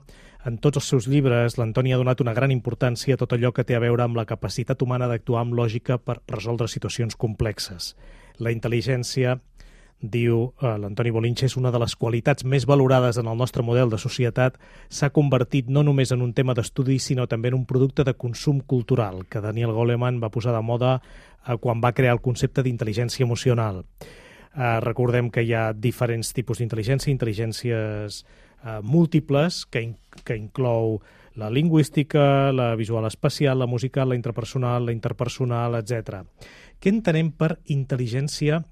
en tots els seus llibres, l'Antoni ha donat una gran importància a tot allò que té a veure amb la capacitat humana d'actuar amb lògica per resoldre situacions complexes. La intel·ligència, diu eh, l'Antoni Bolinches, una de les qualitats més valorades en el nostre model de societat, s'ha convertit no només en un tema d'estudi, sinó també en un producte de consum cultural, que Daniel Goleman va posar de moda eh, quan va crear el concepte d'intel·ligència emocional. Eh, recordem que hi ha diferents tipus d'intel·ligència, intel·ligències eh, múltiples, que, in que inclou la lingüística, la visual espacial, la musical, la intrapersonal, la interpersonal, etcètera. Què entenem per intel·ligència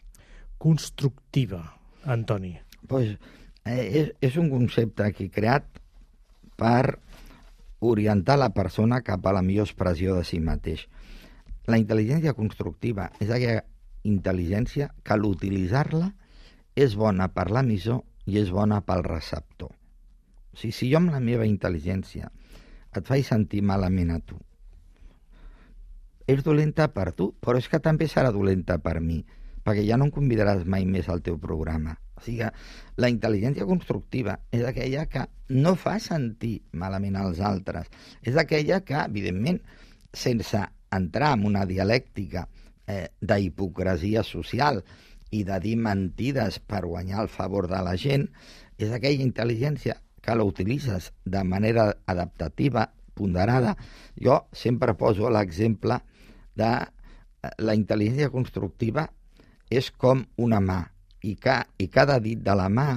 constructiva, Antoni? Pues, eh, és, és un concepte aquí creat per orientar la persona cap a la millor expressió de si mateix. La intel·ligència constructiva és aquella intel·ligència que a l'utilitzar-la és bona per l'emissor i és bona pel receptor. O sigui, si jo amb la meva intel·ligència et faig sentir malament a tu, és dolenta per tu, però és que també serà dolenta per mi, perquè ja no em convidaràs mai més al teu programa. O sigui, la intel·ligència constructiva és aquella que no fa sentir malament als altres. És aquella que, evidentment, sense entrar en una dialèctica eh, d'hipocresia social i de dir mentides per guanyar el favor de la gent, és aquella intel·ligència que la utilitzes de manera adaptativa, ponderada. Jo sempre poso l'exemple de la intel·ligència constructiva és com una mà, i, ca, i cada dit de la mà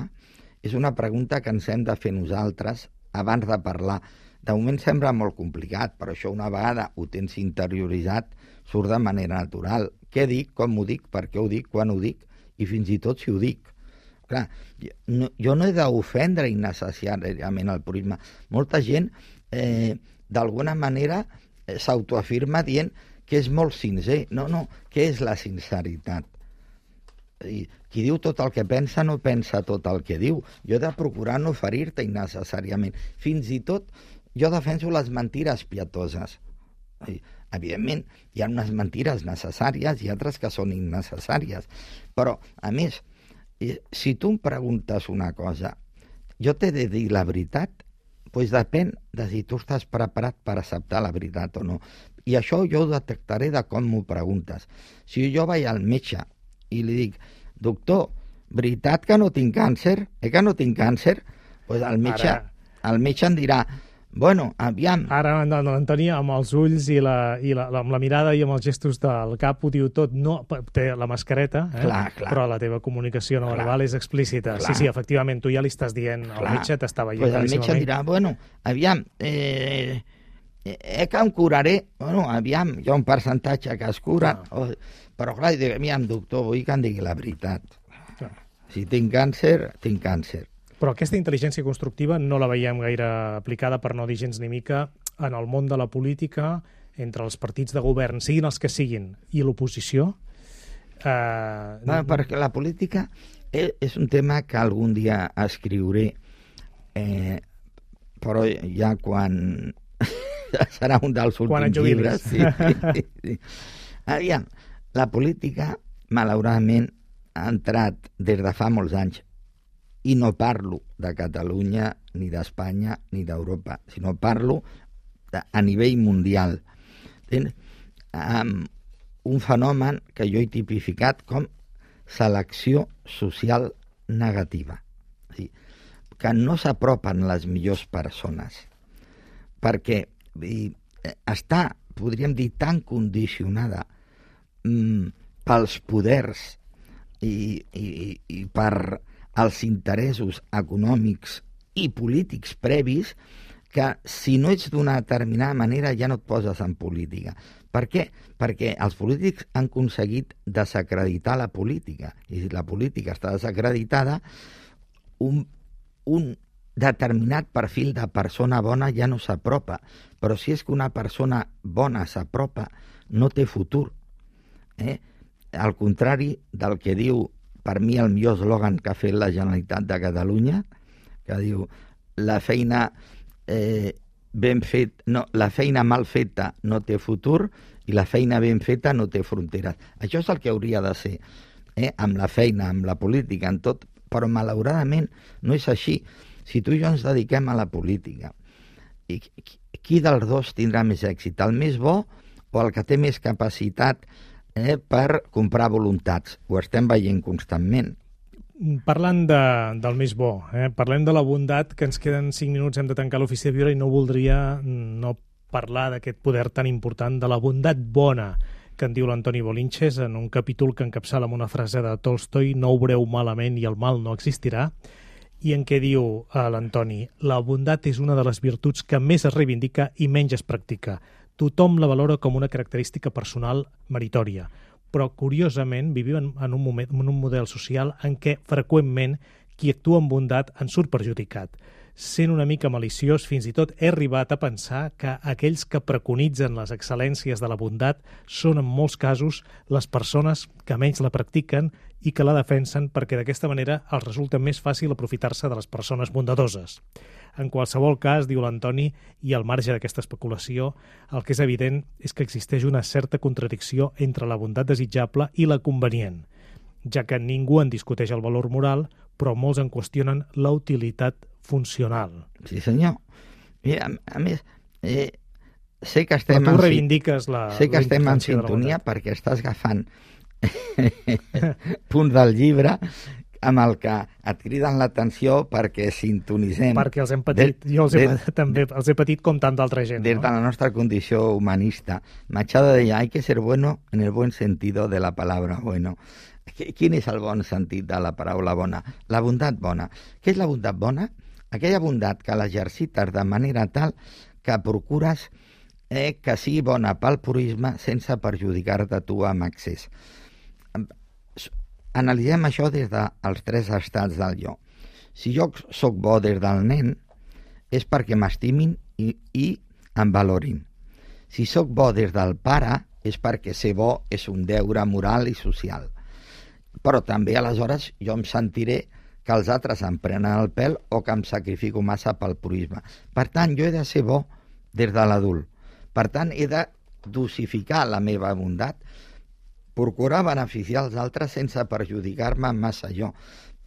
és una pregunta que ens hem de fer nosaltres abans de parlar. De moment sembla molt complicat, però això una vegada ho tens interioritzat surt de manera natural. Què dic, com ho dic, per què ho dic, quan ho dic, i fins i tot si ho dic. Clar, no, jo no he d'ofendre innecessàriament el purisme. Molta gent, eh, d'alguna manera, eh, s'autoafirma dient que és molt sincer. No, no, què és la sinceritat? I qui diu tot el que pensa no pensa tot el que diu. Jo he de procurar no ferir-te innecessàriament. Fins i tot jo defenso les mentires pietoses. I, evidentment, hi ha unes mentires necessàries i altres que són innecessàries. Però, a més, si tu em preguntes una cosa, jo t'he de dir la veritat, doncs depèn de si tu estàs preparat per acceptar la veritat o no. I això jo ho detectaré de com m'ho preguntes. Si jo vaig al metge i li dic, doctor, veritat que no tinc càncer? Eh que no tinc càncer? Doncs el metge, Ara... el metge em dirà, bueno, aviam... Ara l'Antoni amb els ulls i, la, i la, amb la mirada i amb els gestos del cap ho diu tot, no, té la mascareta, eh? clar, clar. Però la teva comunicació no clar. verbal és explícita. Clar. Sí, sí, efectivament, tu ja li estàs dient, clar. el metge t'està veient pues el metge dirà, bueno, aviam, eh, eh que em curaré, bueno, aviam, hi ha un percentatge que es cura, ah. oh, però clar, dic, aviam, doctor, vull que em digui la veritat. Clar. Si tinc càncer, tinc càncer. Però aquesta intel·ligència constructiva no la veiem gaire aplicada, per no dir gens ni mica, en el món de la política, entre els partits de govern, siguin els que siguin, i l'oposició. Eh... No, perquè la política és un tema que algun dia escriuré, eh, però ja quan... serà un dels últims llibres. Sí, sí, sí. Aviam, la política, malauradament, ha entrat des de fa molts anys, i no parlo de Catalunya, ni d'Espanya, ni d'Europa, sinó parlo de, a nivell mundial. Um, un fenomen que jo he tipificat com selecció social negativa. O sigui, que no s'apropen les millors persones, perquè i, està, podríem dir, tan condicionada mm, pels poders i, i, i per els interessos econòmics i polítics previs, que si no ets d'una determinada manera ja no et poses en política. Per què? Perquè els polítics han aconseguit desacreditar la política. I si la política està desacreditada, un, un determinat perfil de persona bona ja no s'apropa. Però si és que una persona bona s'apropa, no té futur. Eh? Al contrari del que diu, per mi, el millor eslògan que ha fet la Generalitat de Catalunya, que diu, la feina eh, ben fet, no, la feina mal feta no té futur i la feina ben feta no té fronteres. Això és el que hauria de ser, eh? amb la feina, amb la política, en tot, però malauradament no és així. Si tu i jo ens dediquem a la política, i qui dels dos tindrà més èxit? El més bo o el que té més capacitat Eh, per comprar voluntats? Ho estem veient constantment. Parlant de, del més bo, eh, parlem de la bondat, que ens queden cinc minuts, hem de tancar l'Ofici de Viure, i no voldria no parlar d'aquest poder tan important de la bondat bona que en diu l'Antoni Bolinches en un capítol que encapçala amb una frase de Tolstoi, no obreu malament i el mal no existirà, i en què diu a l'Antoni, la bondat és una de les virtuts que més es reivindica i menys es practica. Tothom la valora com una característica personal meritòria, però curiosament vivim en un, moment, en un model social en què freqüentment qui actua amb bondat en surt perjudicat. sent una mica maliciós, fins i tot he arribat a pensar que aquells que preconitzen les excel·lències de la bondat són en molts casos les persones que menys la practiquen i que la defensen perquè d'aquesta manera els resulta més fàcil aprofitar-se de les persones bondadoses. En qualsevol cas, diu l'Antoni, i al marge d'aquesta especulació, el que és evident és que existeix una certa contradicció entre la bondat desitjable i la convenient, ja que ningú en discuteix el valor moral, però molts en qüestionen la utilitat funcional. Sí, senyor. I a, a més, eh, sé que estem, però tu en, reivindiques la, sé que la estem en sintonia perquè estàs agafant punts del llibre amb el que et criden l'atenció perquè sintonitzem. Perquè els hem patit, de, jo els he, de, també els he patit com tant d'altra gent. Des no? de la nostra condició humanista. Machado deia, hay que ser bueno en el buen sentido de la palabra bueno. Quin és el bon sentit de la paraula bona? La bondat bona. Què és la bondat bona? Aquella bondat que l'exercites de manera tal que procures eh, que sigui bona pel purisme sense perjudicar-te tu amb excés. Analitzem això des dels tres estats del jo. Si jo sóc bo des del nen, és perquè m'estimin i, i em valorin. Si sóc bo des del pare, és perquè ser bo és un deure moral i social. Però també, aleshores, jo em sentiré que els altres em prenen el pèl o que em sacrifico massa pel purisme. Per tant, jo he de ser bo des de l'adult. Per tant, he de dosificar la meva bondat, procurar beneficiar els altres sense perjudicar-me massa jo.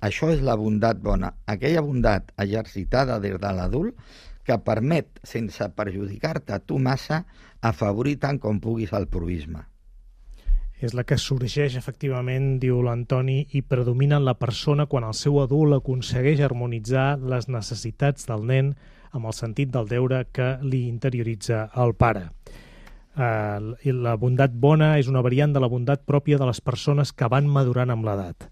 Això és la bondat bona. Aquella bondat exercitada des de l'adult que permet, sense perjudicar-te tu massa, afavorir tant com puguis el purisme. És la que sorgeix, efectivament, diu l'Antoni, i predomina en la persona quan el seu adult aconsegueix harmonitzar les necessitats del nen amb el sentit del deure que li interioritza el pare. Uh, la bondat bona és una variant de la bondat pròpia de les persones que van madurant amb l'edat,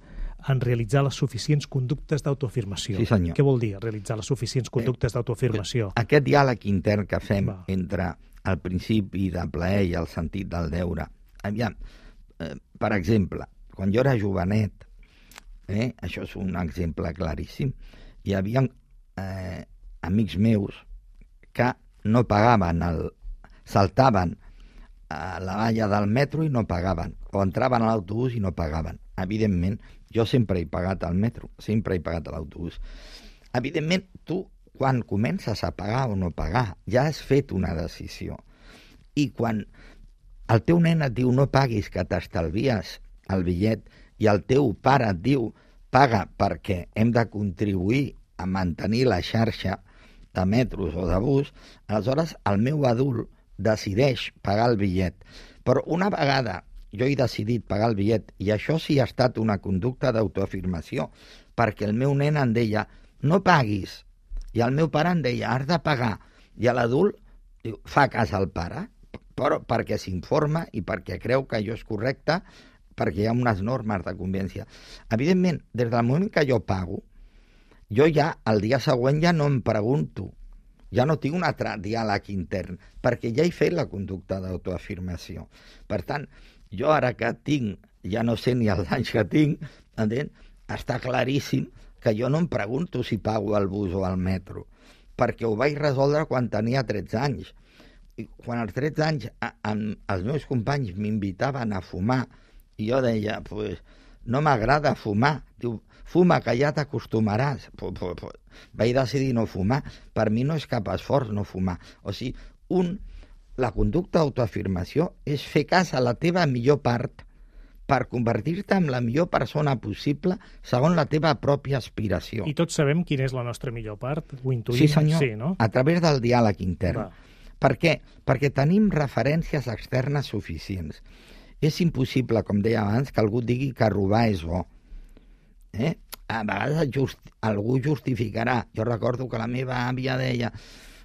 en realitzar les suficients conductes d'autoafirmació. Sí, senyor. Què vol dir realitzar les suficients conductes d'autoafirmació? Aquest diàleg intern que fem Va. entre el principi de plaer i el sentit del deure. Aviam, eh, per exemple, quan jo era jovenet, eh, això és un exemple claríssim, hi havia eh, amics meus que no pagaven, el, saltaven a la valla del metro i no pagaven, o entraven a l'autobús i no pagaven. Evidentment, jo sempre he pagat al metro, sempre he pagat a l'autobús. Evidentment, tu, quan comences a pagar o no pagar, ja has fet una decisió. I quan el teu nen et diu no paguis, que t'estalvies el bitllet, i el teu pare et diu paga perquè hem de contribuir a mantenir la xarxa de metros o de bus, aleshores el meu adult decideix pagar el bitllet. Però una vegada jo he decidit pagar el bitllet, i això sí ha estat una conducta d'autoafirmació, perquè el meu nen em deia no paguis, i el meu pare em deia has de pagar, i l'adult diu, fa cas al pare, però perquè s'informa i perquè creu que allò és correcte, perquè hi ha unes normes de convivència. Evidentment, des del moment que jo pago, jo ja el dia següent ja no em pregunto, ja no tinc un altre diàleg intern, perquè ja he fet la conducta d'autoafirmació. Per tant, jo ara que tinc, ja no sé ni els anys que tinc, entén? Està claríssim que jo no em pregunto si pago el bus o el metro, perquè ho vaig resoldre quan tenia tretze anys. I quan als tretze anys a, a, els meus companys m'invitaven a fumar, i jo deia, pues, no m'agrada fumar. Diu, fuma, que ja t'acostumaràs. Pues, pues, pues, vaig decidir no fumar. Per mi no és cap esforç no fumar. O sigui, un, la conducta d'autoafirmació és fer cas a la teva millor part per convertir-te en la millor persona possible segons la teva pròpia aspiració. I tots sabem quina és la nostra millor part? Ho intuïm? Sí, senyor. Sí, no? A través del diàleg intern. Va. Per què? Perquè tenim referències externes suficients. És impossible, com deia abans, que algú digui que robar és bo. Eh? A vegades just, algú justificarà. Jo recordo que la meva àvia deia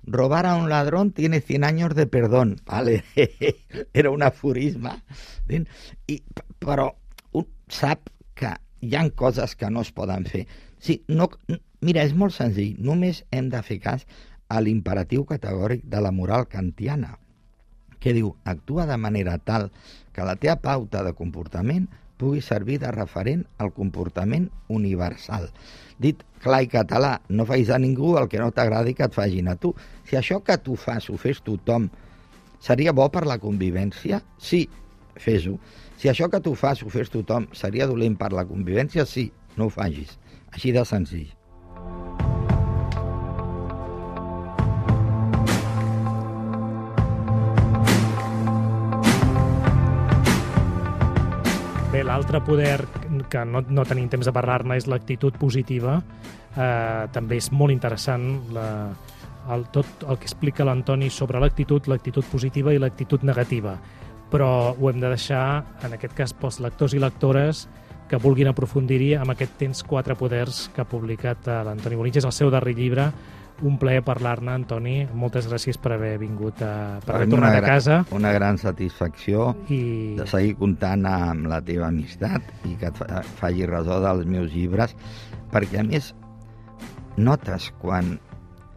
robar a un ladrón tiene cien años de perdón. Vale. Era un aforisme. I, però un sap que hi ha coses que no es poden fer. Sí, no, mira, és molt senzill. Només hem de fer cas a l'imperatiu categòric de la moral kantiana, que diu, actua de manera tal que la teva pauta de comportament pugui servir de referent al comportament universal. Dit clar i català, no facis a ningú el que no t'agradi que et facin a tu. Si això que tu fas ho fes tothom, seria bo per la convivència? Sí, fes-ho. Si això que tu fas ho fes tothom, seria dolent per la convivència? Sí, no ho facis. Així de senzill. Bé, l'altre poder, que no, no tenim temps de parlar-ne, és l'actitud positiva. Eh, també és molt interessant la, el, tot el que explica l'Antoni sobre l'actitud, l'actitud positiva i l'actitud negativa. Però ho hem de deixar, en aquest cas, pels lectors i lectores que vulguin aprofundir-hi amb aquest Tens quatre poders que ha publicat l'Antoni Bolínches, el seu darrer llibre. Un plaer parlar-ne, Antoni. Moltes gràcies per haver vingut, a, per haver tornat a casa. Una gran satisfacció I... de seguir comptant amb la teva amistat i que et faci ressò dels meus llibres, perquè a més notes quan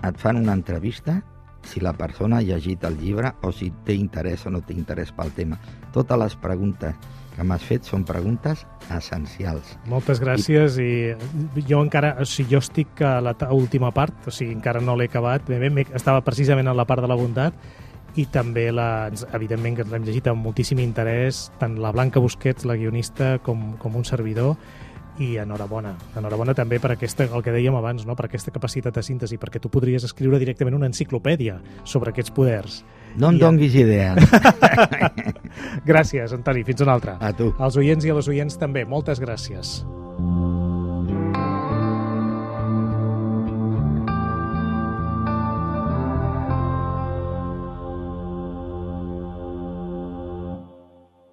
et fan una entrevista si la persona ha llegit el llibre o si té interès o no té interès pel tema. Totes les preguntes que m'has fet són preguntes essencials. Moltes gràcies i, i jo encara, o sigui, jo estic a la última part, o sigui, encara no l'he acabat, bé, bé, estava precisament en la part de la bondat i també, la, evidentment, que l'hem llegit amb moltíssim interès, tant la Blanca Busquets, la guionista, com, com un servidor, i enhorabona. Enhorabona també per aquesta, el que dèiem abans, no? Per aquesta capacitat de síntesi, perquè tu podries escriure directament una enciclopèdia sobre aquests poders. No em I donguis a... idees. Gràcies, Antoni. Fins una altra. A tu. Als oients i a les oients també. Moltes gràcies.